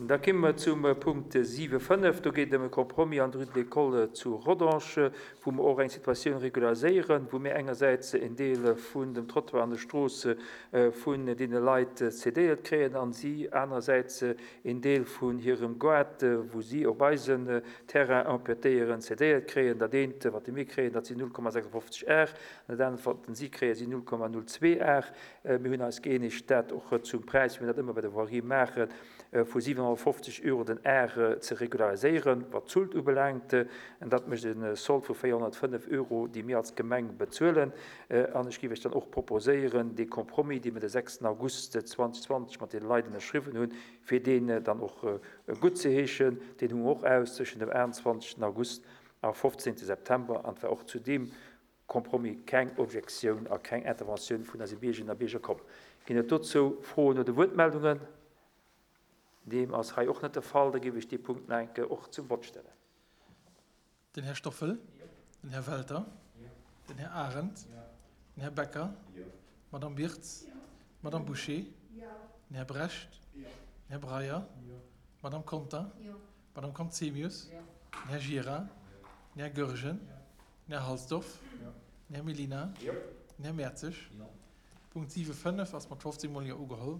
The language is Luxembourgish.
Da komme mer zum Punkt 7,5. Do geet et ëm e Compromis an der Rue de l'École zu Rodange, wou mer och eng Situatioun regulariséieren, wou mir engersäits en Deel vun dem Trottoir an der Strooss vun deene Leit cédéiert kréien a si anerersäits een Deel vun hirem Gaart, wou si op eisen Terrain empiétéieren, cédéiert kréien. Dat eent, wat mir kréien, dat sinn 0,56 Ar, an dat anert, wat si kréien, sinn 0,02 Ar. Mir hunn eis gëeenegt, dat och zum Präis, wéi mir dat ëmmer bei der Voirie maachen, vu 750 Euro den Ar ze regulariséieren, wat d'Sult ubelaangt. An dat mécht e Sold vu 405 Euro, déi mir als Gemeng bezuelen. An ech géif Iech dann och proposéieren, dee Compromis, dee mir de 6 August 2020 mat deene Leit ënnerschriwwen hunn, fir deen dann och guttzeheeschen. Deen hu mer och aus tëschent dem 28 August a 15 September. An et war och zu deem Compromis keng Objektioun a keng Interventioun vun eise Biergerinnen a Bierger komm. Ginn et dozou Froen oder Wuertmeldungen? Deem ass hei och net de Fall. Da géif ech dee Punkt nach eng Kéier och zum Vott stellen. Den Här Stoffel, den Här Welter, den Här Arendt, den Här Becker, d'Madame Birtz, d'Madame Bouché, den Här Brecht, den Här Breyer, d'Madame Conter, d'Madame Conzemius, den Här Gira, den Här Goergen, Den Här Halsdorf. Den Här Mellina. Den Här Mertzig. Punkt 7, 5 ass mat 15 mol Jo ugeholl.